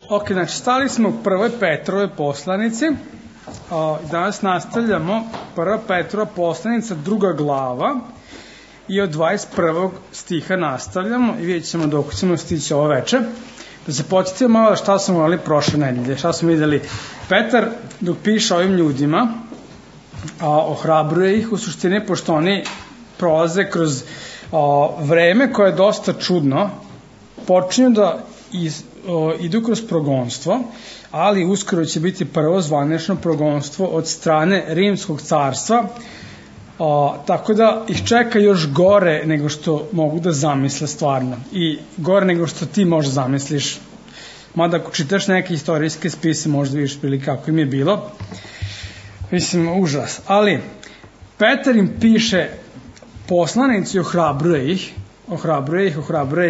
Ok, znači stali smo u prvoj Petrove poslanici. Danas nastavljamo prva Petrova poslanica, druga glava, i od 21. stiha nastavljamo i vidjet ćemo dok ćemo stići ovo veče. Da se podsjetimo malo šta smo imali prošle nedelje, šta smo videli. Petar dok piše ovim ljudima, ohrabruje ih u suštini, pošto oni prolaze kroz vreme koje je dosta čudno, počinju da idu kroz progonstvo, ali uskoro će biti prvo zvanično progonstvo od strane Rimskog carstva, tako da ih čeka još gore nego što mogu da zamisle stvarno, i gore nego što ti možda zamisliš, mada ako čitaš neke istorijske spise možda vidiš prilike kako im je bilo, mislim užas. Ali Petar im piše poslanici, ohrabruje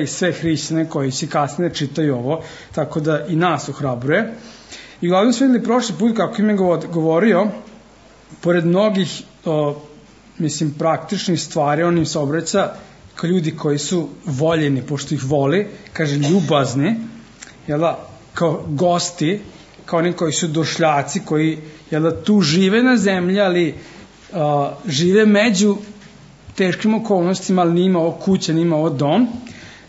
ih sve hrišćane koji će kasnije čitaju ovo, tako da i nas ohrabruje. I glavno smo videli prošli put kako im je govorio, pored mnogih praktičnih stvari, on im se obraća kao ljudi koji su voljeni, pošto ih voli, kaže ljubazni, kao gosti, kao oni koji su došljaci, koji tu žive na zemlji, ali žive među teškim okolnostima, ali nije imao kuće, nije imao dom,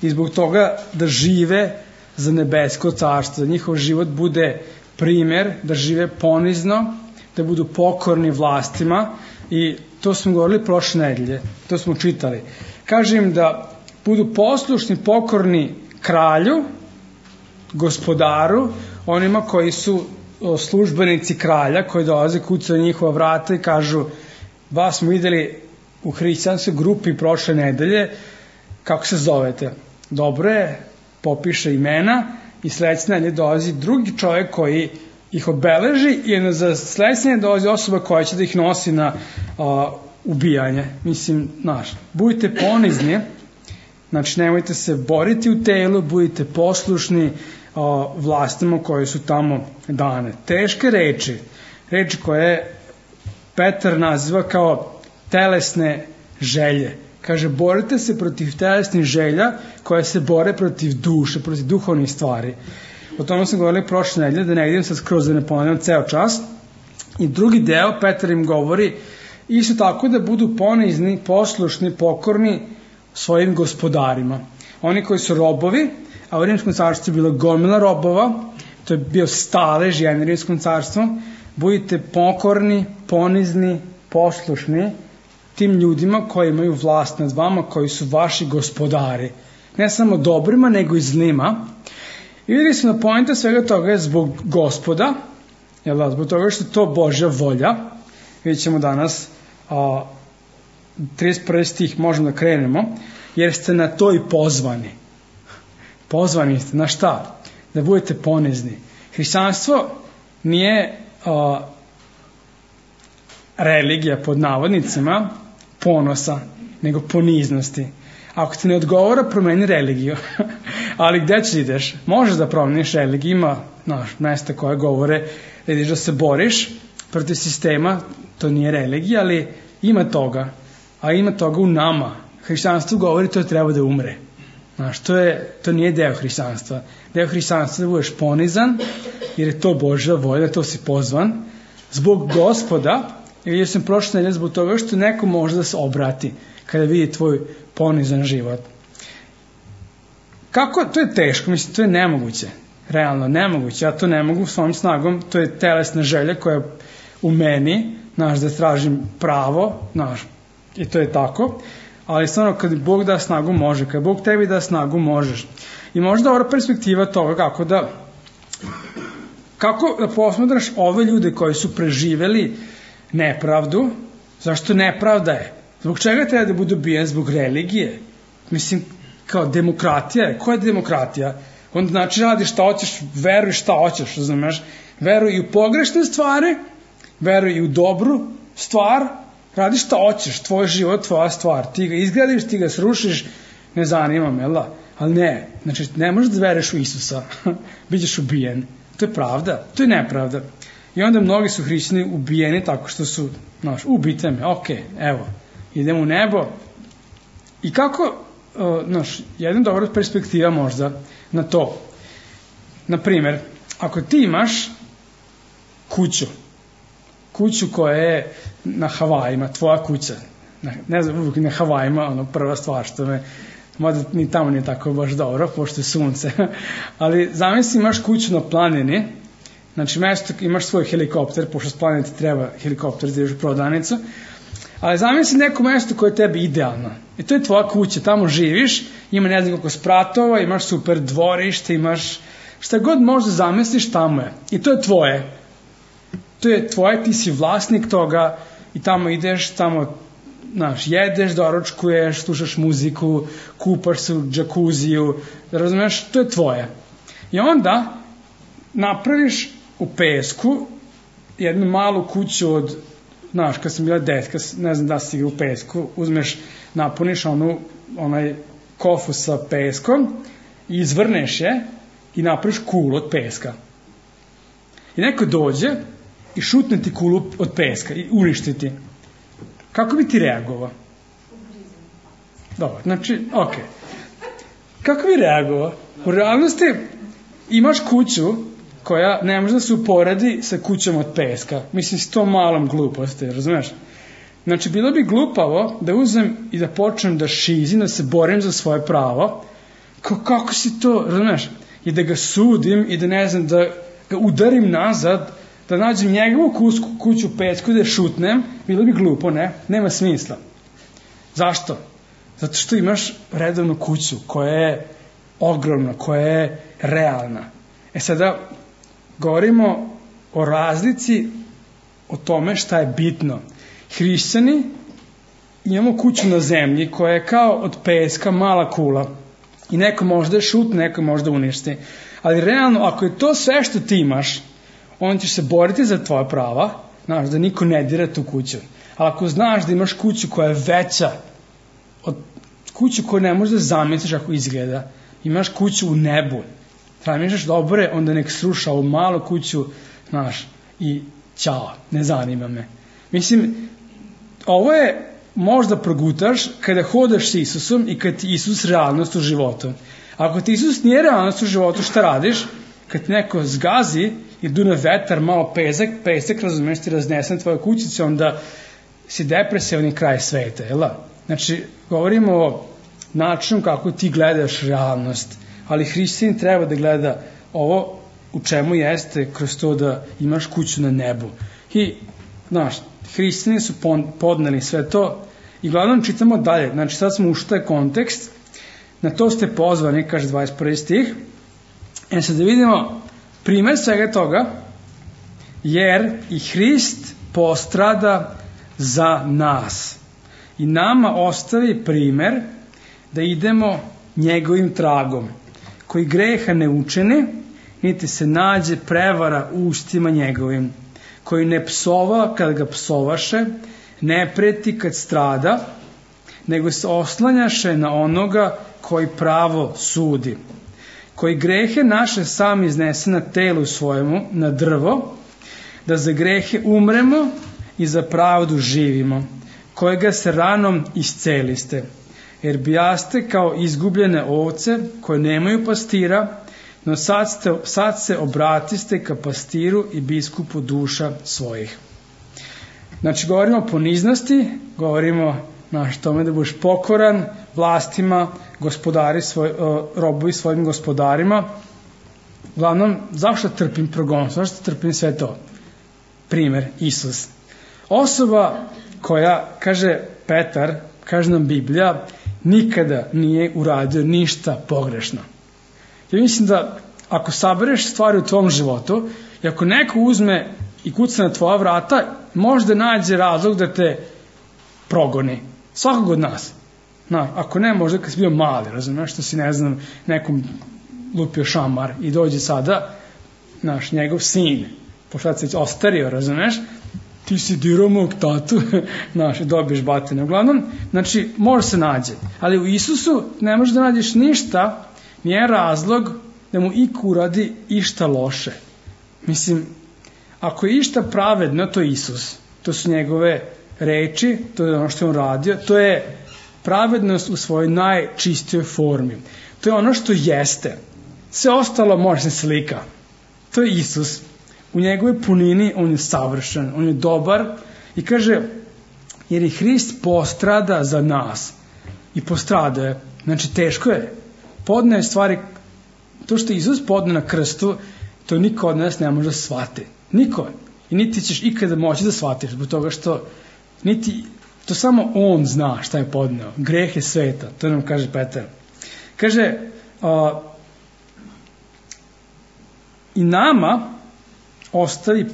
i zbog toga da žive za nebesko carstvo, da njihov život bude primer, da žive ponizno, da budu pokorni vlastima, i to smo govorili prošle nedelje, to smo čitali. Kaže im da budu poslušni, pokorni kralju, gospodaru, onima koji su službenici kralja, koji dolaze, kucaju njihova vrata i kažu: vas smo videli u hrišćanskoj grupi prošle nedelje, kako se zovete? Dobro je, popiše imena, i sledeće nedelje dolazi drugi čovjek koji ih obeleži, i za sledeće nedelje dolazi osoba koja će da ih nosi na ubijanje. Budite ponizni, znači nemojte se boriti u telu, budite poslušni vlastima koje su tamo dane. Teške reči koje Petar naziva kao telesne želje. Kaže, borite se protiv telesnih želja koje se bore protiv duše, protiv duhovnih stvari. O tome sam govorili prošle nedelje, da ne idem sad skroz, da ne ponavljam ceo čas. I drugi deo, Petar im govori isto tako da budu ponizni, poslušni, pokorni svojim gospodarima. Oni koji su robovi, a u Rimskom carstvu je bila gomila robova, to je bio stalež jedan Rimskom carstvu, budite pokorni, ponizni, poslušni tim ljudima koji imaju vlast nad vama, koji su vaši gospodari. Ne samo dobrima, nego i zlima. I vidjeli smo da poenta svega toga je zbog Gospoda, zbog toga što je to Božja volja. Vidjet ćemo danas 31. stih, možemo da krenemo, jer ste na to i pozvani. Pozvani ste, na šta? Da budete ponizni. Hrišćanstvo nije religija pod navodnicima ponosa, nego poniznosti. Ako ti ne odgovara, promeni religiju. Ali gde ćeš ideš? Možeš da promeniš religiju, ima mesta koje govore da ideš da se boriš protiv sistema, to nije religija, ali ima toga. A ima toga u nama. Hrišćanstvo govori to treba da umre. To nije deo hrišćanstva. Deo hrišćanstva da budeš ponizan, jer je to Božja volja, to si pozvan, zbog Gospoda. I vidio sam prošle nedelje zbog toga što neko može da se obrati kada vidi tvoj ponizan život. Kako? To je teško, to je nemoguće. Realno, nemoguće. Ja to ne mogu svojom snagom, to je telesna želja koja je u meni, da tražim pravo, i to je tako. Ali stvarno, kad Bog da snagu, može. Kad Bog tebi da snagu, možeš. I možda ova perspektiva toga kako da posmatraš ove ljude koji su preživeli nepravdu. Zašto nepravda je? Zbog čega treba da budu ubijen? Zbog religije? Kao demokratija je. Koja je demokratija? Onda znači radi šta hoćeš, veruj šta hoćeš, razumeš? Veruj i u pogrešne stvari, veruj i u dobru stvar, radi šta hoćeš, tvoj život, tvoja stvar. Ti ga izgradiš, ti ga srušiš, ne zanima me, ali ne. Znači, ne možeš da veruješ u Isusa, bićeš ubijen. To je pravda, to je nepravda. I onda mnogi su hrišćani ubijeni tako što su, ubite me, evo, idem u nebo. I kako, jedna dobra perspektiva možda na to. Na primer, ako ti imaš kuću koja je na Havajima, tvoja kuća, ne znam, uvijek na Havajima, prva stvar što me, mada ni tamo nije tako baš dobro, pošto je sunce, ali zamisli imaš kuću na planini, znači mesto imaš svoj helikopter, pošto s planine ti treba helikopter da ideš u prodavnicu, ali zamisli neko mesto koje je tebi idealno. I to je tvoja kuća, tamo živiš, ima ne znam koliko spratova, imaš super dvorište, imaš šta god možda zamisliš, tamo je. I to je tvoje. To je tvoje, ti si vlasnik toga i tamo ideš, tamo jedeš, doručkuješ, slušaš muziku, kupaš se u džakuziju, razumeš, to je tvoje. I onda napraviš u pesku jednu malu kuću od, kad sam bila detka, ne znam da si u pesku, uzmeš, napuniš onaj kofu sa peskom i izvrneš je i napraviš kulu od peska. I neko dođe i šutne ti kulu od peska i uništi ti. Kako bi ti reagovao? Dobro, znači, okej. Kako bi reagovao? U realnosti imaš kuću koja ne može da se uporedi sa kućom od peska. Mislim, s tom malom gluposti, razumeš? Znači, bilo bi glupavo da uzmem i da počnem da šizim, da se borim za svoje pravo. Kako si to, razumeš? I da ga sudim i da ne znam, da ga udarim nazad, da nađem njegovu kuću u pesku, da je šutnem, bilo bi glupo, ne? Nema smisla. Zašto? Zato što imaš redovnu kuću koja je ogromna, koja je realna. Sada govorimo o razlici, o tome šta je bitno. Hrišćani imamo kuću na zemlji koja je kao od peska mala kula i neko možda je šutne, neko možda uništi. Ali realno, ako je to sve što ti imaš, on ćeš se boriti za tvoja prava, znaš, da niko ne dira tu kuću. Ali ako znaš da imaš kuću koja je veća od kuću koju ne možeš da zamisliš ako izgleda, imaš kuću u nebu, razmišljaš dobre, onda nek sruša ovu malu kuću, znaš, i ćao, ne zanima me. Mislim, ovo je možda progutaš kada hodaš s Isusom i kad ti Isus realnost u životu. Ako ti Isus nije realnost u životu, šta radiš? Kad ti neko zgazi i dune vetar, malo pesek, razumiješ, ti raznesen tvoje kućice, onda si depresivni kraj sveta, jel da? Znači, govorimo o načinu kako ti gledaš realnost, ali hrišćanin treba da gleda ovo u čemu jeste kroz to da imaš kuću na nebu. I, znaš, hrišćani su podneli sve to i glavnom čitamo dalje. Znači, sad smo ušli taj kontekst, na to ste pozvani, kaže 21. stih. Sad da vidimo primer svega toga, jer i Hrist postrada za nas i nama ostavi primer da idemo njegovim tragom, koji greha ne učini, niti se nađe prevara u ustima njegovim, koji ne psova kad ga psovaše, ne preti kad strada, nego se oslanjaše na onoga koji pravo sudi, koji grehe naše sam iznese na telu svojemu, na drvo, da za grehe umremo i za pravdu živimo, kojega se ranom isceliste, jer bijaste kao izgubljene ovce koje nemaju pastira, no sad se obratiste ka pastiru i biskupu duša svojih. Znači, govorimo o poniznosti, govorimo na tome da budeš pokoran vlastima, robovi svojim gospodarima. Uglavnom, zašto trpim progon? Zašto trpim sve to? Primer, Isus. Osoba koja, kaže Petar, kaže nam Biblija, nikada nije uradio ništa pogrešno. Ja mislim da ako sabereš stvari u tvom životu i ako neko uzme i kuca na tvoja vrata, možda nađe razlog da te progoni. Svakog od nas. Ako ne, možda kad si bio mali, razumiješ, što si, ne znam, nekom lupio šamar i dođe sada njegov sin, pošto sad se ostario, razumiješ, ti si dirao mog tatu, i dobiješ batine. Uglavnom, znači, može se nađe. Ali u Isusu ne možeš da nađeš ništa, nije razlog da mu iko uradi išta loše. Mislim, ako je išta pravedno, to je Isus. To su njegove reči, to je ono što je on radio, to je pravednost u svojoj najčistijoj formi. To je ono što jeste. Sve ostalo može se slika. To je Isus. U njegovoj punini on je savršen, on je dobar i kaže, jer je Hrist postrada za nas. I postrada je. Znači, teško je. Podne stvari, to što je Isus podne na krstu, to niko od nas ne može da shvati. Niko. I niti ćeš ikada moći da shvatiš, zbog toga što to samo on zna šta je podneo. Greh je sveta, to nam kaže Petar. Kaže, i nama ostavi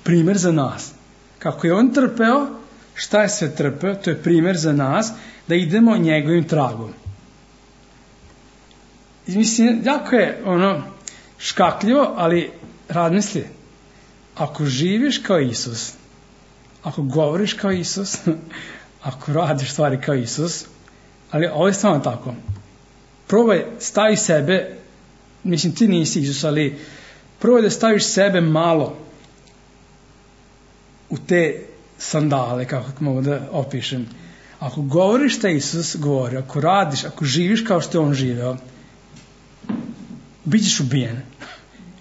primer za nas. Kako je on trpeo, šta je sve trpeo, to je primer za nas, da idemo njegovim tragom. I mislim, jako je škakljivo, ali razmisli, ako živiš kao Isus, ako govoriš kao Isus, ako radiš stvari kao Isus, ali ovo je stvarno tako. Probaj, stavi sebe, mislim ti nisi Isus, ali probaj da staviš sebe malo u te sandale, kako mogu da opišem. Ako govoriš šta Isus govori, ako radiš, ako živiš kao što je on živeo, bit ćeš ubijen.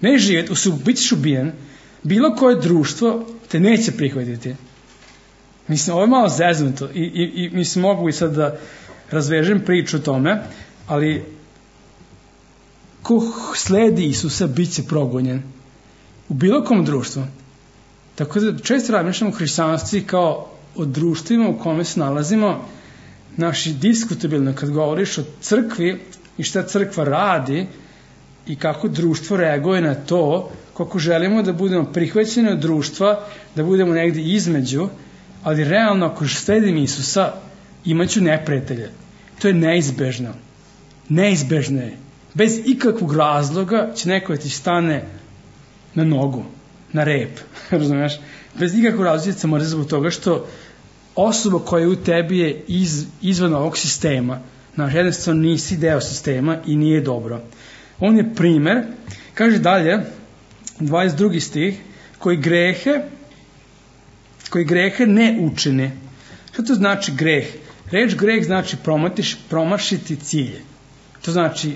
Ne živjeti, bit ćeš ubijen. Bilo koje društvo te neće prihvatiti. Mislim, ovo je malo zeznuto i mislim, mogu i sad da razvežem priču o tome, ali ko sledi Isusa bit će progonjen. U bilo kom društvu. Tako da često razmišljamo u hrišćanstvu kao o društvima u kome se nalazimo, naši diskutabilno kad govoriš o crkvi i šta crkva radi i kako društvo reaguje na to, koliko želimo da budemo prihvaćeni od društva, da budemo negdje između, ali realno ako sledim Isusa imaću neprijatelje. To je neizbežno. Neizbežno je. Bez ikakvog razloga će neko da ti stane na nogu, na rep, razumiješ? Bez ikakvog razloga se mora zbog toga što osoba koja je u tebi je izvan ovog sistema. Znaš, jednostavno nisi deo sistema i nije dobro. On je primer, kaže dalje, 22. stih, koji grehe ne učine. Šta to znači greh? Reč greh znači promašiti cilj. To znači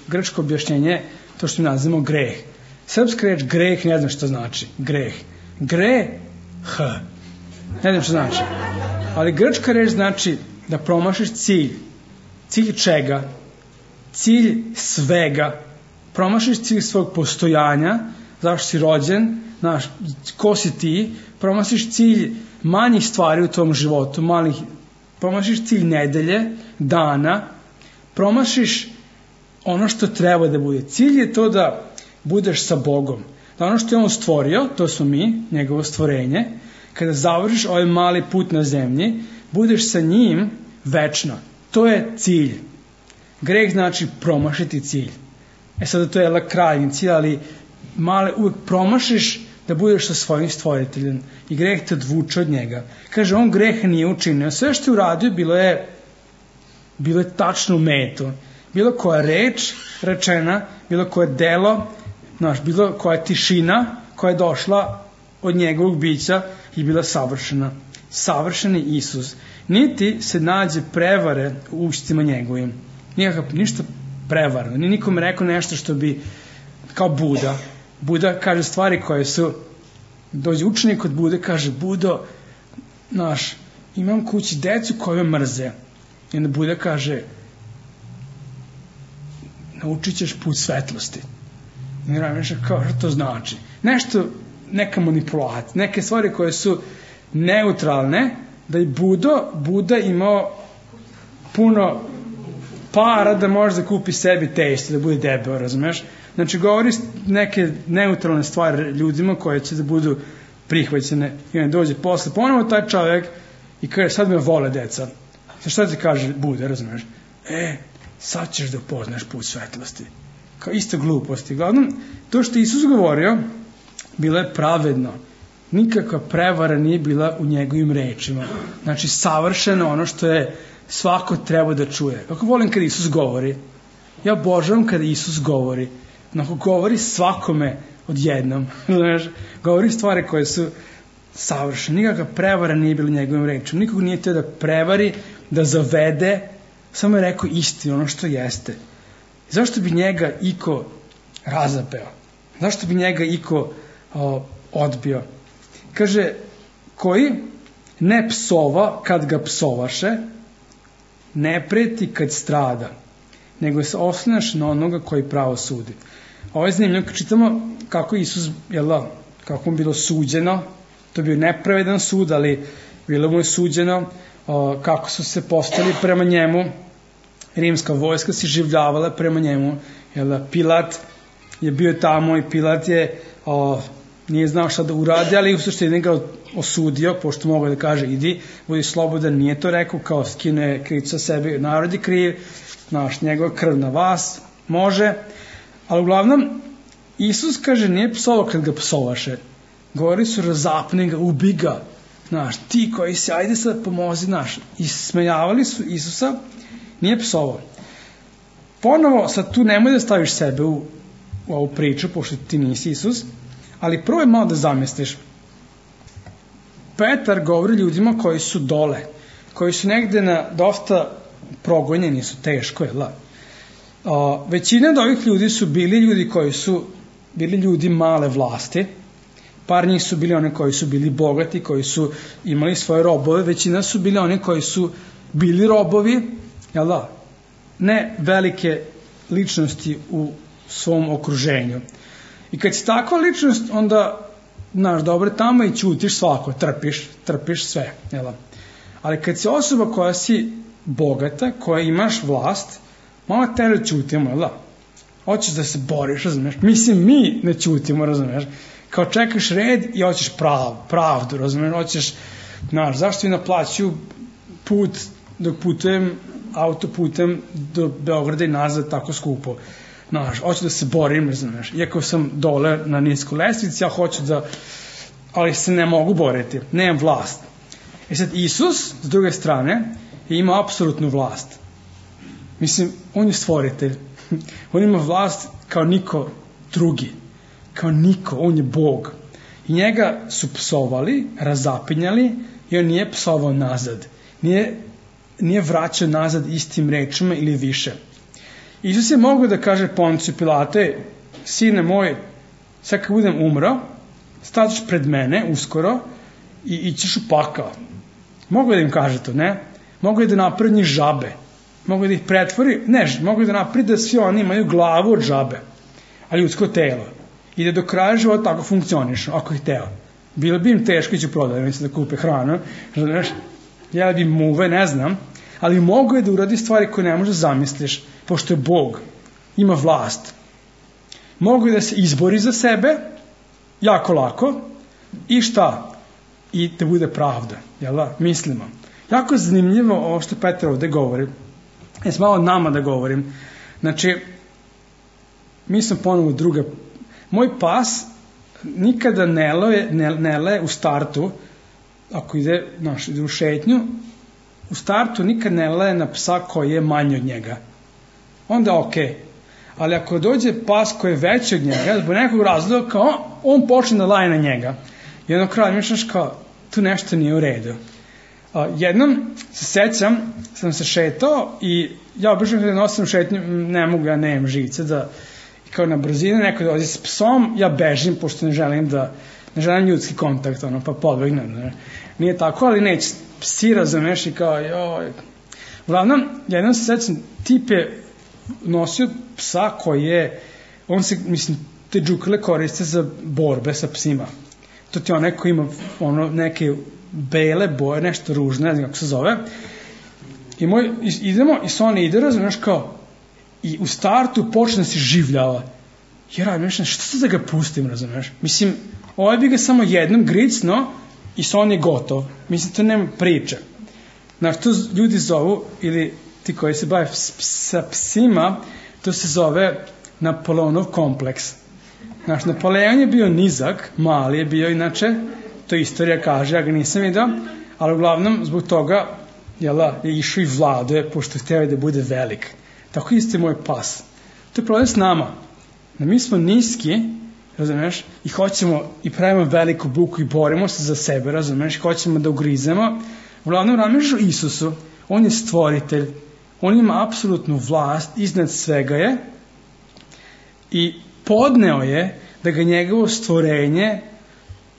grčko objašnjenje, to što mi nazivamo greh. Srpska reč greh ne znam što znači. Greh. Ne znam što znači. Ali grčka reč znači da promašiš cilj. Cilj čega? Cilj svega. Promašiš cilj svog postojanja, zašto si rođen, znaš, ko si ti, promašiš cilj manjih stvari u tom životu, promašiš cilj nedelje, dana, promašiš ono što treba da bude. Cilj je to da budeš sa Bogom. Da ono što je on stvorio, to smo mi, njegovo stvorenje, kada završiš ovaj mali put na zemlji, budeš sa njim večno. To je cilj. Greh znači promašiti cilj. Sada to je krajnji cilj, ali uvek promašiš da budeš sa svojim stvoriteljem i greh te odvuče od njega. Kaže, on greh nije učinio. Sve što je uradio bilo je tačno u metu. Bilo koja reč rečena, bilo koje delo, bilo koja tišina koja je došla od njegovog bića i bila savršena. Savršeni Isus. Niti se nađe prevare u ustima njegovim. Ništa prevarno. Ni nikome rekao nešto što bi kao Buda. Buda kaže stvari koje su, dođe učenik od Bude, kaže, Budo, imam kući decu koje me mrze. I onda Buda kaže, naučit ćeš put svetlosti. I ne razmišlja kao što to znači. Neka manipulacija, neke stvari koje su neutralne, da je Buda imao puno para da može da kupi sebi tešće, da bude debel, razumeš? Znači, govori neke neutralne stvari ljudima koje će da budu prihvaćene i onda dođe posle ponovo taj čovjek i kaže, sad me vole deca. Šta ti kaže Buda, razumeš? Sad ćeš da upoznaš put svetlosti. Kao isto gluposti. Glavnom, to što Isus govorio, bilo je pravedno. Nikakva prevara nije bila u njegovim rečima. Znači, savršeno ono što je svako treba da čuje. Kako volim kada Isus govori. Ja obožavam kada Isus govori. Ako govori svakome odjednom. Govori stvari koje su savršene. Nikakva prevara nije bila u njegovim rečima. Nikog nije teo da prevari, da zavede. Samo je rekao istinu, ono što jeste. Zašto bi njega iko razapeo. Zašto bi njega iko odbio? Kaže, koji ne psova kad ga psovaše, ne preti kad strada, nego se oslanjaš na onoga koji pravo sudi. Ovo je zanimljivo, kad čitamo kako Isus, kako mu bilo suđeno, to je bio nepravedan sud, ali bilo mu je suđeno, kako su se postali prema njemu, rimska vojska se življavala prema njemu, Pilat je bio tamo i Pilat je nije znao šta da uradi, ali u suštini ga osudio, pošto mogu da kaže idi, budi slobodan, nije to rekao, kao skine krivicu sa sebe, narod je kriv, njegova krv na vas, može, ali uglavnom Isus kaže nije psovao kad ga psovaše, govori su razapni ga, ubi ga, ti koji si, ajde sad pomozi, i smejavali su Isusa, nije psovao. Ponovo, sad tu nemoj da staviš sebe u ovu priču, pošto ti nisi Isus, ali prvo je malo da zamisliš. Petar govori ljudima koji su dole, koji su negde na dosta progonjeni, su teško, većina od ovih ljudi su bili ljudi koji su bili ljudi male vlasti, par njih su bili oni koji su bili bogati, koji su imali svoje robove, većina su bili oni koji su bili robovi, ne velike ličnosti u svom okruženju. I kad si takva ličnost, onda, dobro tamo i ćutiš svako, trpiš sve, ali kad si osoba koja si bogata, koja imaš vlast, malo teže ćutimo, hoćeš da se boriš, razumeš, mislim mi ne ćutimo, razumeš, kao čekaš red i hoćeš pravdu, razumeš, hoćeš, zašto i naplaćuju put dok putujem autoputem do Beograda i nazad tako skupo, hoću da se borim, razumeš, iako sam dole na niskoj lestvici, ja hoću da, ali se ne mogu boriti, nemam vlast. Sad, Isus, s druge strane, je imao apsolutnu vlast. Mislim, on je stvoritelj. On ima vlast kao niko drugi. Kao niko, on je Bog. I njega su psovali, razapinjali i on nije psovao nazad. Nije vraćao nazad istim rečima ili više. Isus je mogao da kaže Ponciju Pilate, sine moj, sad kad budem umro, staćeš pred mene uskoro i ićeš u pakao. Mogu da im kaže to, ne? Mogu da napravi njih žabe. Mogu da ih pretvori, mogu da napravi da svi oni imaju glavu od žabe, a ljudsko telo. I da do kraja života tako funkcioniš, ako ih teo. Bilo bi im teško ići u prodavnicu da kupe hranu, jeli bi muve, ne znam, ali mogu je da uradi stvari koje ne možeš da zamisliš, pošto je Bog, ima vlast. Mogu je da se izbori za sebe, jako lako, i šta? I da bude pravda, mislimo. Jako je zanimljivo ovo što Petar ovde govori. Malo nama da govorim. Znači, mi smo ponovo druga. Moj pas nikada ne leje u startu, ako ide u šetnju, u startu nikad ne leje na psa koji je manji od njega. Onda okej. Ali ako dođe pas koji je veći od njega, zbog nekog razloga, kao on počne da laje na njega. I ono kraj mišljaš kao, tu nešto nije u redu. Jednom se sećam, sam se šetao i ja obično kada nosim šetnju, ne mogu, ja nemam žice, da kao na brzinu neko dolazi s psom, ja bežim, pošto ne želim ljudski kontakt, pa podbegnem. Nije tako, ali neće, psi razumeš i kao, joj. Uglavnom, jednom se sećam, tip je nosio psa koji je, on se, te džukale koriste za borbe sa psima. To ti onaj koji ima neke bele boje, nešto ružno, ne znam kako se zove. I idemo i Sonja ide, razumiješ, kao, i u startu počne da se življava. Jer razumiješ, što se da ga pustim, razumiješ? Ovaj bi ga samo jednom gricno i Sonja je gotov. To nema priče. To ljudi zovu, ili ti koji se bave sa psima, to se zove Napoleonov kompleks. Napoleon je bio nizak, mali je bio inače, to istorija kaže, ja ga nisam vidio, ali uglavnom zbog toga je išao i vladuje, pošto hteo da bude velik. Tako isto je moj pas. To je problem s nama. Mi smo niski, razumeš, i hoćemo i pravimo veliku buku i borimo se za sebe, razumeš, i hoćemo da ugrizemo. Uglavnom razmišljaš o Isusu, on je stvoritelj, on ima apsolutnu vlast, iznad svega je, i podneo je da ga njegovo stvorenje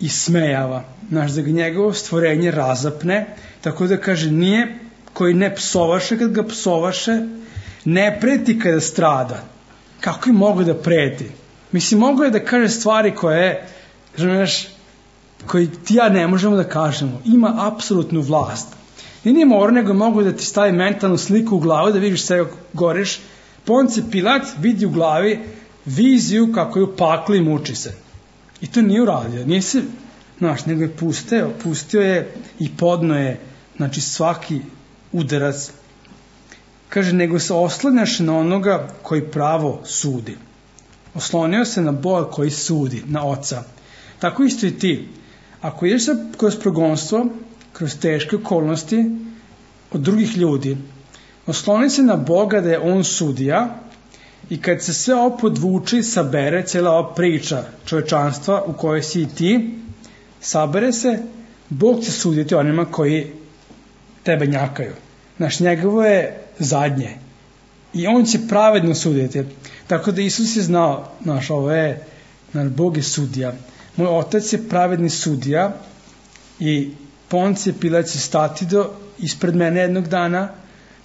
ismejava, znaš, da ga njegovo stvorenje razapne, tako da kaže nije koji ne psovaše kad ga psovaše, ne preti kada strada. Kako je mogo da preti? Mislim, mogo je da kaže stvari koje, znaš, koji ti ja ne možemo da kažemo. Ima apsolutnu vlast. I nije mora, nego mogu da ti stavi mentalnu sliku u glavu, da vidiš sebe goreš. Poncije Pilat vidi u glavi viziju kako je u paklu i muči se. I to nije uradio. Nije se, znaš, nego je pustio je i podno je, znači, svaki udarac. Kaže, nego se oslanjaš na onoga koji pravo sudi. Oslonio se na Boga koji sudi, na Oca. Tako isto i ti. Ako ideš kroz progonstvo, kroz teške okolnosti od drugih ljudi, osloni se na Boga da je On sudija i kad se sve ovo podvuče i sabere, cijela ova priča čovečanstva u kojoj si i ti, sabere se, Bog će suditi onima koji tebe njakaju. Znaš, njegovo je zadnje. I On će pravedno suditi. Tako da Isus je znao, znaš, ovo je, znaš, Bog je sudija. Moj Otac je pravedni sudija i Poncije Pilat će stati ispred mene jednog dana.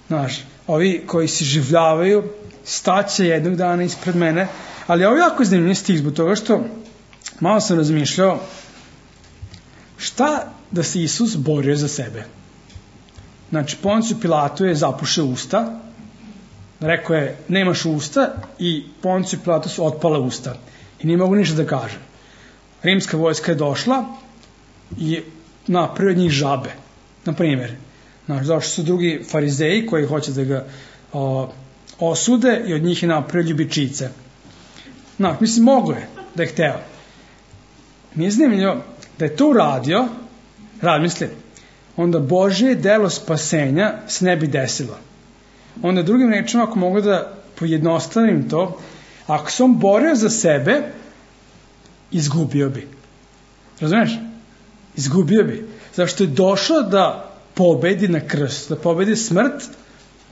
Znaš, ovi koji se življavaju staće jednog dana ispred mene. Ali ovo je jako zanimljiv stih zbog toga što malo sam razmišljao šta da se Isus borio za sebe. Znači, Ponciju Pilatu je zapušio usta, rekao je nemaš usta i Ponciju Pilatu su otpala usta i nije mogu ništa da kaže. Rimska vojska je došla i napravio od njih žabe. Na primjer, došli su drugi farizeji koji hoće da ga osude i od njih je napravio ljubičice. Mislim, mogo je da je hteo. Mi je zanimljivo da je to uradio, razmisli, onda Božje delo spasenja se ne bi desilo. Onda drugim rečima, ako mogu da pojednostavim to, ako se on borio za sebe, izgubio bi. Razumeš? Izgubio bi. Zašto je došao da pobedi na krstu, da pobedi smrt,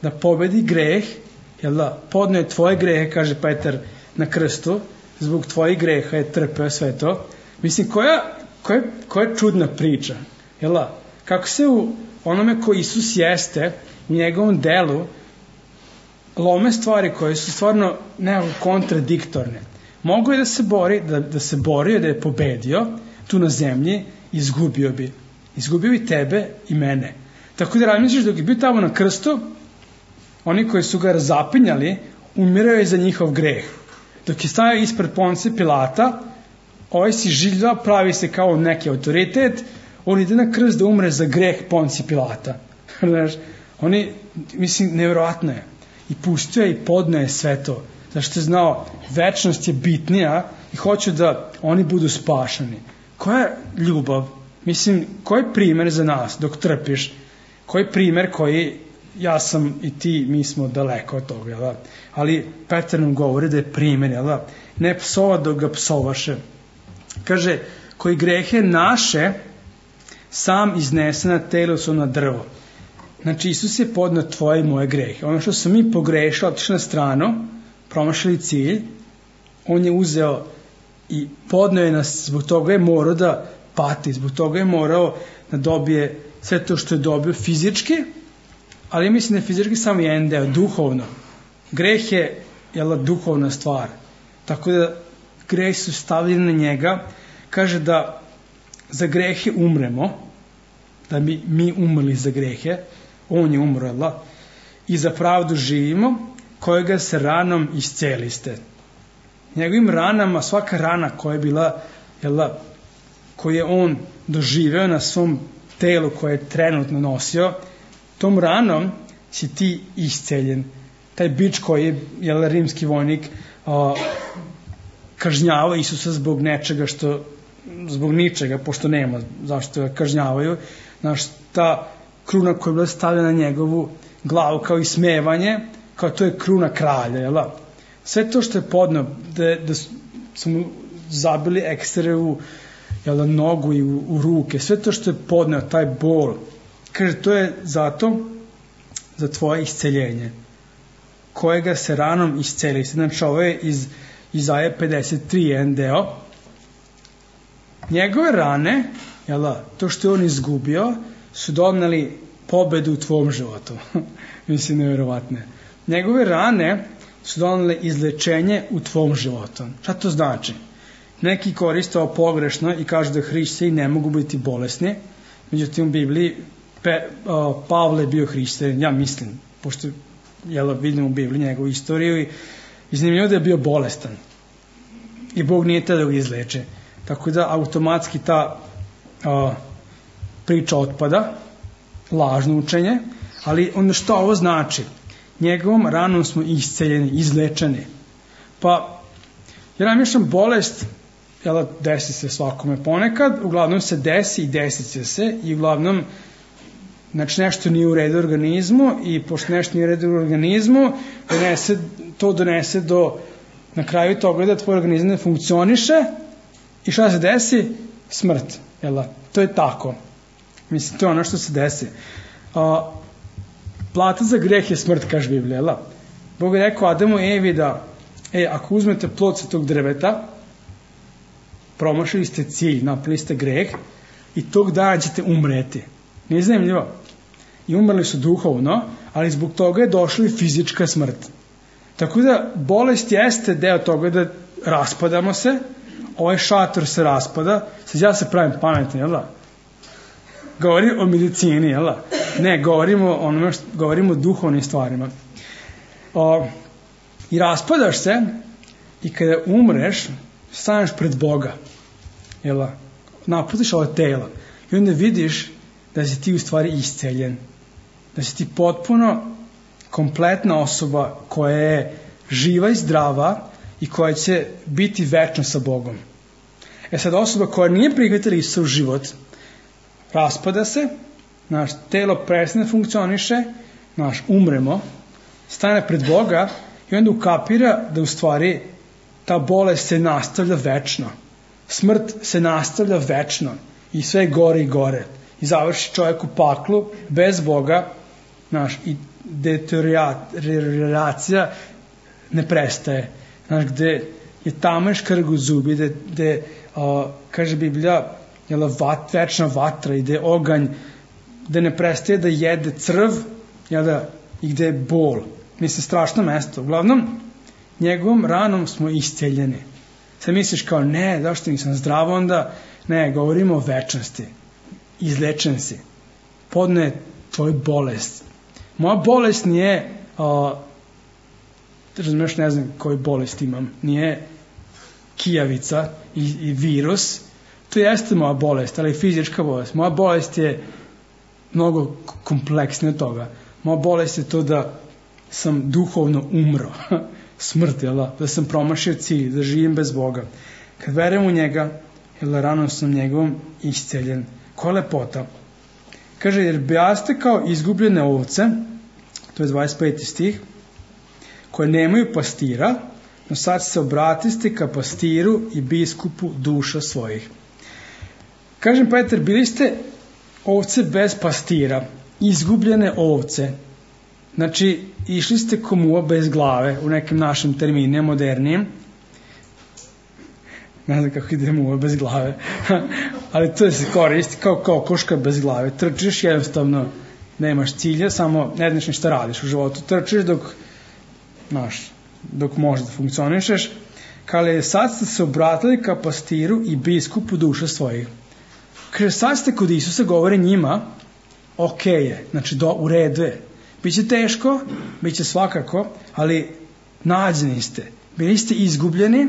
da pobedi greh, jel da, podneo je tvoje grehe, kaže Petar na krstu, zbog tvojih greha je trpeo sve to. Mislim, koja čudna priča, jel da? Kako se u onome ko Isus jeste, u njegovom delu, lome stvari koje su stvarno nekako kontradiktorne. Mogu je da se bori, da se borio, da je pobedio tu na zemlji, izgubio bi. Izgubio bi tebe i mene. Tako da razmisliš, dok je bio tamo na krstu, oni koji su ga razapinjali, umirao je za njihov greh. Dok je stavio ispred Poncija Pilata, ovaj si žilja, pravi se kao neki autoritet, on ide na krst da umre za greh Poncija Pilata. Oni, mislim, nevjerojatno je. I pustio je i podneo je sve to. Zašto je znao, večnost je bitnija i hoće da oni budu spašani. Koja je ljubav? Mislim, koji je primjer za nas dok trpiš? Koji je primjer koji, ja sam i ti, mi smo daleko od toga, jel? Ali Petar nam govori da je primjer, jel? Ne psova dok ga psovaše. Kaže, koji grehe naše sam iznese na telu su na drvo. Znači, Isus je podneo tvoje i moje grehe. Ono što smo mi pogrešili, otišli na stranu, promašili cilj, on je uzeo i podneo je nas, zbog toga je morao da pati, zbog toga je morao da dobije sve to što je dobio fizički, ali mislim da je fizički samo jedan deo, duhovno. Greh je duhovna stvar. Tako da greh su stavljeni na njega, kaže da za grehe umremo, da bi mi umrli za grehe, on je umro, i za pravdu živimo, kojega se ranom isceliste. Njegovim ranama, svaka rana koja je bila, koju je on doživeo na svom telu koje je trenutno nosio, tom ranom si ti isceljen. Taj bič koji je rimski vojnik kažnjavao Isusa zbog nečega zbog ničega, pošto nema zašto ga kažnjavaju. Znaš, ta kruna koja je bila stavljena na njegovu glavu kao ismevanje, kao to je kruna kralja, jel? Sve to što je podneo, da su mu zabili ekstere u nogu i u ruke, sve to što je podneo, taj bol, kaže, to je zato za tvoje isceljenje, kojega se ranom isceli. Znači, ovo je Izaja 53, jedan deo. Njegove rane, to što je on izgubio, su doneli pobedu u tvom životu. Mislim, nevjerovatne. Njegove rane su donele izlečenje u tvom životu. Šta to znači? Neki koriste ovo pogrešno i kažu da hrišćani ne mogu biti bolesni. Međutim, u Bibliji Pavle je bio hrišćanin, ja mislim, pošto vidim u Bibliji njegovu istoriju i zanimljivo da je bio bolestan. I Bog nije tada da ga izleče. Tako da automatski ta priča otpada, lažno učenje, ali onda što ovo znači? Njegovom ranom smo isceljeni, izlečeni. Pa, ja namišljam bolest, desi se svakome ponekad, uglavnom se desi i desit će se i uglavnom nešto nije u redu u organizmu i pošto nešto nije u redu u organizmu, to donese do na kraju toga da tvoj organizam ne funkcioniše i šta se desi? Smrt. To je tako. Mislim, to je ono što se desi. Plata za greh je smrt, kaže Biblija. Bog je rekao Adamu i Evi da ako uzmete plod sa tog drveta, promašili ste cilj, napravili ste greh i tog dana ćete umreti. Nije zanimljivo? I umrli su duhovno, ali zbog toga je došla i fizička smrt. Tako da bolest jeste deo toga da raspadamo se, ovaj šator se raspada, sad ja se pravim pametni, govorim o medicini, ne, govorimo o duhovnim stvarima. I raspadaš se i kada umreš, staneš pred Boga, napustiš ovo telo i onda vidiš da si ti u stvari isceljen, da si ti potpuno kompletna osoba koja je živa i zdrava i koja će biti večno sa Bogom. Sad osoba koja nije prihvatila Isusov život, raspada se, naš telo prestane funkcioniše, umremo, stane pred Boga i onda ukapira da u stvari ta bolest se nastavlja večno. Smrt se nastavlja večno i sve gore i gore. I završi čovjek u paklu bez Boga, i deterioracija ne prestaje. Gde je tamo škrg u zubi, gde kaže Biblija, večna vatra i gde je oganj, gde ne prestaje da jede crv, i gde je bol. Mislim, strašno mesto. Uglavnom, njegovom ranom smo isceljeni. Sad misliš kao, ne, zašto nisam zdrav onda? Ne, govorimo o večnosti. Izlečen si. Podne tvoju bolest. Moja bolest nije, razumeš, ne znam koju bolest imam, nije kijavica i virus. To jeste moja bolest, ali fizička bolest. Moja bolest je mnogo kompleksnija od toga. Moja bolest je to da sam duhovno umro. Smrt, da sam promašio cilj, da živim bez Boga. Kad verujem u njega, ranom sam njegovom isceljen. Koja lepota? Kaže, jer bijaste kao izgubljene ovce, to je 25. stih, koje nemaju pastira, no sad se obratiste ka pastiru i biskupu duša svojih. Kažem, Petar, bili ste ovce bez pastira, izgubljene ovce. Znači, išli ste ko muva bez glave, u nekim našim terminima, modernijim. Ne znam kako ide muva bez glave. Ali to se koristi kao koška bez glave. Trčiš, jednostavno nemaš cilja, samo ne znaš ništa radiš u životu. Trčiš dok možeš da funkcionišeš. Kaže, sad ste se obratili ka pastiru i biskupu duša svojih. Kaže, sad ste kod Isusa, govore njima, ok je, znači u redu je. Biće teško, biće svakako, ali nađeni ste. Bili ste izgubljeni,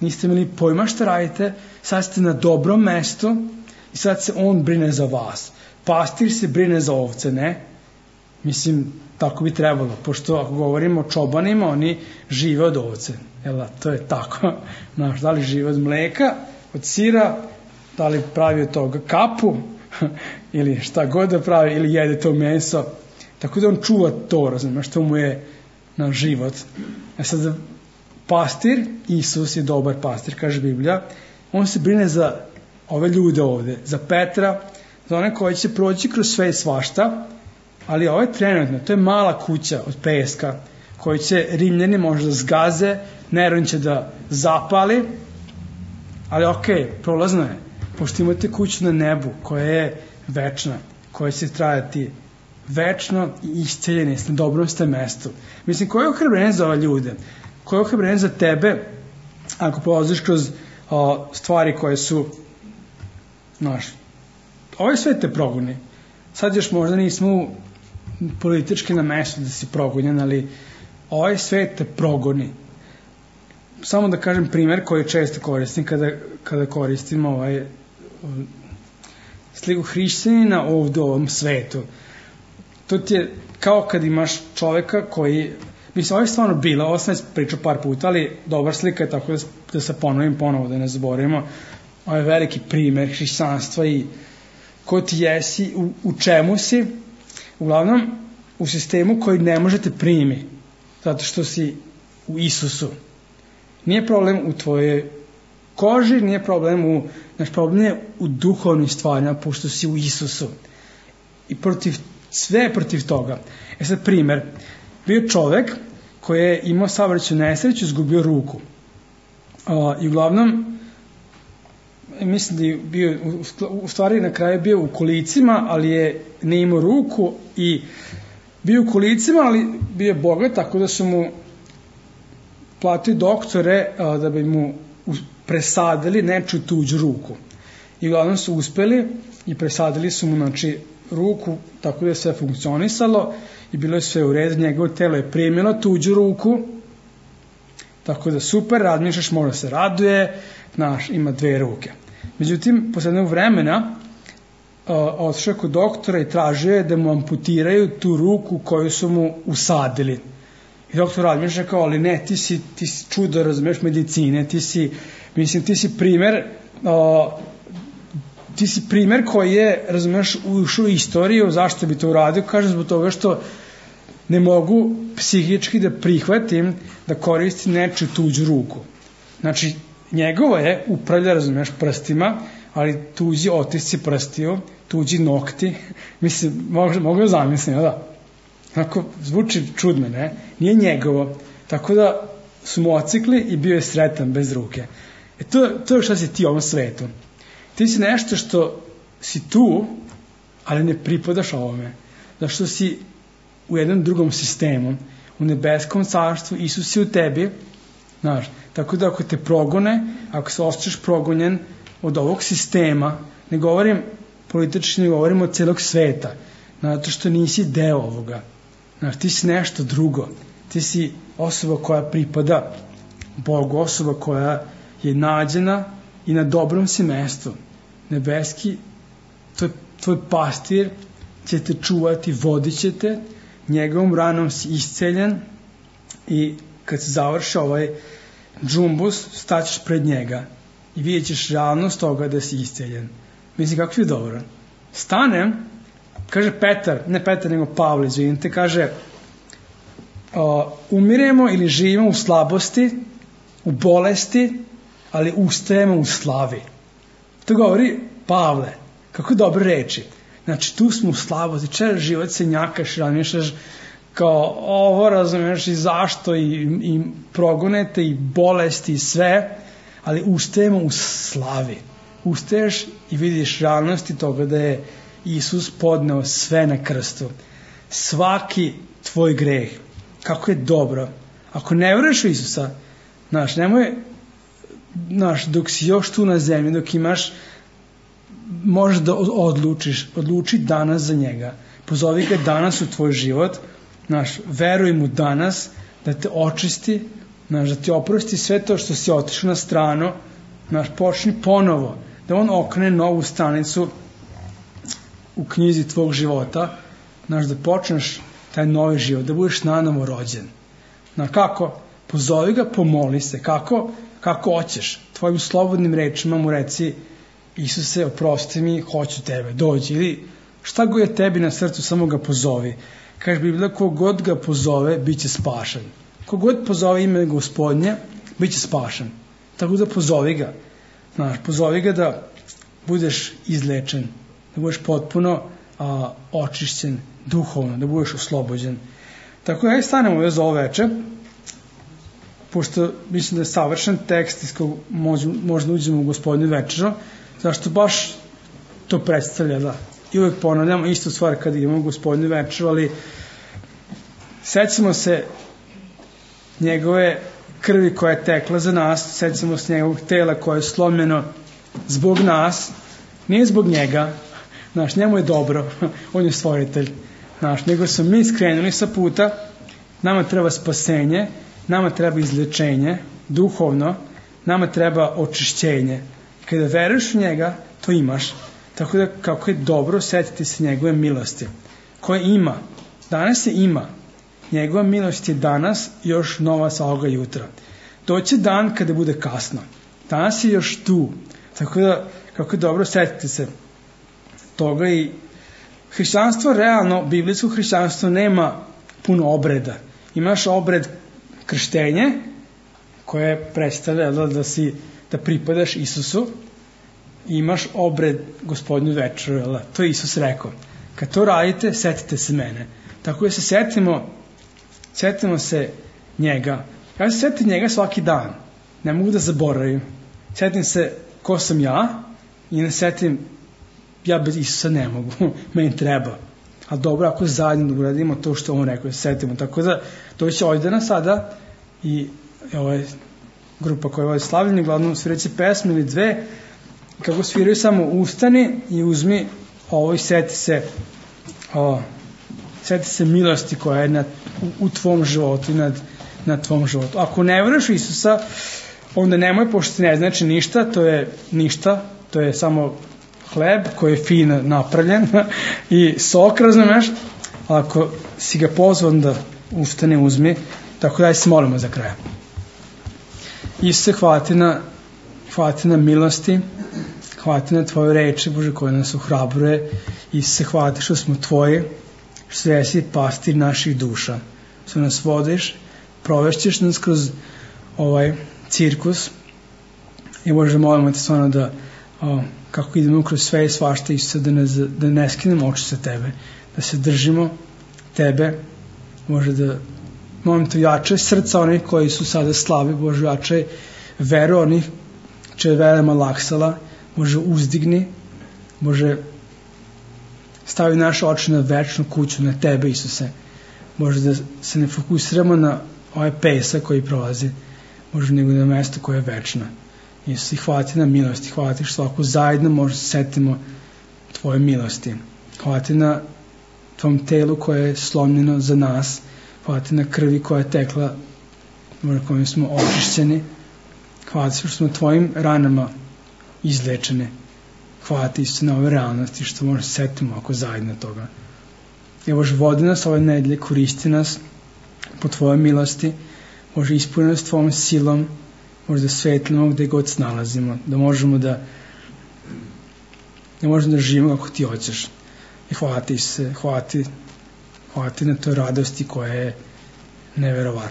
niste imali pojma šta radite, sad ste na dobrom mestu i sad se on brine za vas. Pastir se brine za ovce, ne? Mislim, tako bi trebalo, pošto ako govorimo o čobanima, oni žive od ovce. To je tako. Da li žive od mleka, od sira, da li pravi od toga kapu, ili šta god da pravi, ili jede to meso. Tako da on čuva to, razumiješ, što mu je na život. Sad, pastir, Isus je dobar pastir, kaže Biblija, on se brine za ove ljude ovde, za Petra, za one koji će proći kroz sve i svašta, ali ovo je trenutno, to je mala kuća od peska, koji će Rimljani možda zgaze, Neron će da zapali, ali prolazno je, pošto imate kuću na nebu koja je večna, koja će trajati večno i isceljeni na dobrom ste mestu. Mislim, koje je ohrabrenje za ove ljude? Koje je ohrabrenje za tebe ako prolaziš kroz stvari koje su ovaj svet te progoni. Sad još možda nismo politički na mestu da si progonjen, ali ovaj svet te progoni. Samo da kažem primer koji često koristim kada koristim sliku hrišćanina ovdje u ovom svetu. To ti je kao kad imaš čoveka koji, mislim, ovo je stvarno bilo, ovo sam pričao par puta, ali dobar slika je tako da se ponovim ponovo, da ne zaboravimo. Ovo je veliki primer hrišćanstva i ko ti jesi, u čemu si, uglavnom u sistemu koji ne možete primi, zato što si u Isusu. Nije problem u tvojoj koži, nije problem problem je u duhovnim stvarima, pošto si u Isusu. I sve protiv toga. Sad primer, bio čovek koji je imao saobraćajnu nesreću, izgubio ruku. I uglavnom, mislim da je bio, u stvari na kraju bio u kolicima, ali je ne imao ruku i bio u kolicima, ali bio je bogat, tako da su mu platili doktore da bi mu presadili nečiju tuđu ruku. I uglavnom su uspeli i presadili su mu, ruku, tako da je sve funkcionisalo i bilo je sve u redu, njegovo telo je primilo tuđu ruku, tako da super, razmišljaš, možda se raduje, ima 2 ruke. Međutim, posle jednog vremena otišao kod doktora i tražio je da mu amputiraju tu ruku koju su mu usadili. I doktor razmišlja kao, ali ne, ti si čudo, razumeš, medicine, ti si primer koji je, razumeš, ušao u istoriju, zašto bi to uradio, kaže zbog toga što ne mogu psihički da prihvatim da koristim nečiju tuđu ruku. Znači, njegovo je upravlja, razumeš, prstima, ali tuđi otisci prstiju, tuđi nokti, mislim, mogu da zamislim, da? Onako, zvuči čudno, ne? Nije njegovo, tako da su mu ocikli i bio je sretan bez ruke. To je šta si ti u ovom svetu. Ti si nešto što si tu, ali ne pripadaš ovome. Zašto si u jednom drugom sistemu, u nebeskom carstvu, Isus je u tebi, znaš, tako da ako te progone, ako se osjećaš progonjen od ovog sistema, ne govorim politički, ne govorim od celog sveta, zato što nisi deo ovoga. Znaš, ti si nešto drugo. Ti si osoba koja pripada Bogu, osoba koja je nađena i na dobrom si mestu. Nebeski, tvoj pastir će te čuvati, vodit će te, njegovom ranom si isceljen i kad se završi ovaj džumbus, staćeš pred njega i vidjet ćeš realnost toga da si isceljen. Mislim, kako je dobro. Stanem, kaže Petar, nego Pavle, izvinite, kaže umiremo ili živimo u slabosti, u bolesti, ali ustajemo u slavi. To govori Pavle. Kako dobre reči. Znači, tu smo u slabosti, čel život se njakaš, razmišljaš kao ovo, razumiješ, i zašto, i progonete, i bolesti, i sve, ali ustajemo u slavi. Ustaješ i vidiš realnosti toga da je Isus podneo sve na krstu. Svaki tvoj greh. Kako je dobro. Ako ne veruješ u Isusa, dok si još tu na zemlji, dok imaš, možeš da odluči danas za njega. Pozovi ga danas u tvoj život, veruj mu danas da te očisti, da ti oprosti sve to što si otišao na stranu, počni ponovo, da on okrene novu stranicu u knjizi tvog života, da počneš taj novi život, da budeš nanovo rođen. Kako? Pozovi ga, pomoli se. Kako hoćeš? Tvojim slobodnim rečima mu reci: Isuse, oprosti mi, hoću tebe, dođi. Ili šta god je tebi na srcu, samo ga pozovi. Kaže Biblija, kogod ga pozove, bit će spašen. Kogod pozove ime Gospodnje, bit će spašen. Tako da pozovi ga. Pozovi ga da budeš izlečen, da budeš potpuno očišćen duhovno, da budeš oslobođen. Tako ja i stanem ovdje za ovo veče, pošto mislim da je savršen tekst iz kog možda uđemo u Gospodnju večeru, zašto baš to predstavlja, da. I uvek ponavljamo istu stvar kada imamo Gospodnju večeru, ali sećamo se njegove krvi koja je tekla za nas, sećamo se njegovog tela koje je slomljeno zbog nas, nije zbog njega, znaš, njemu je dobro, on je stvoritelj, znaš, nego smo mi skrenuli sa puta, nama treba spasenje, nama treba izlečenje, duhovno, nama treba očišćenje. Kada veruješ u njega, to imaš. Tako da, kako je dobro, setiti se njegove milosti, koje ima. Danas je ima. Njegova milost je danas još nova sa ovoga jutra. Doće dan kada bude kasno. Danas je još tu. Tako da, kako je dobro, setiti se toga. I hrišćanstvo, realno, biblijsko hrišćanstvo nema puno obreda. Imaš obred krštenje, koje predstavlja da pripadaš Isusu, i imaš obred Gospodnju večeru, to je Isus rekao. Kad to radite, setite se mene. Tako da se setimo se njega. Ja se setim njega svaki dan. Ne mogu da zaboravim. Setim se ko sam ja i ne setim ja bez Isusa ne mogu. Meni treba. Ali dobro, ako zajedno uradimo to što on rekao, se setimo. Tako da doći Ojdana sada i ovo je grupa koja je slavljena, glavno svirajući pesmu ili dve, kako sviraju samo ustani i uzmi ovo i seti se milosti koja je u tvom životu i na tvom životu. Ako ne veruješ Isusa, onda nemoj, pošto ne znači ništa, to je samo hleb koji je fino napravljen i sok, razumeš, ako si ga pozvan da ustane, uzmi, tako da se molimo za kraj. Isuse, hvala ti na milosti, hvala ti na tvoje reči, Bože, koje nas ohrabruje. Isuse, hvala ti što smo tvoji, što jesi pastir naših duša, što nas vodiš, provešćeš nas kroz ovaj cirkus i Bože, molimo te stvarno da kako idemo kroz sve i svašta, Isuse, da ne skinemo oči sa tebe, da se držimo tebe, Bože, da molim te jače srca onih koji su sada slabi, Bože, jače veru onih če je vera malaksala, Bože, uzdigni, Bože, stavi naše oči na večnu kuću, na tebe, Isuse, Bože, da se ne fokusiramo na ovaj pesak koji prolazi, Bože, nego na mesto koje je večno. Isuse, hvala ti na milosti, hvala ti što ovako zajedno možda se setimo tvoje milosti. Hvala ti na tvom telu koje je slomljeno za nas, hvala ti na krvi koja je tekla, Bože, kojim smo očišćeni, hvala ti što smo tvojim ranama izlečeni. Hvala ti Isuse na ove realnosti što možda se setimo ako zajedno toga. I Bože, vodi nas ove nedelje, koristi nas po tvojoj milosti, Bože, ispuni nas tvojom silom, možda svetlimo gde god se nalazimo, da možemo da živimo kako ti hoćeš. I hvala ti Isuse, hvala ti na toj radosti koja je neverovatna.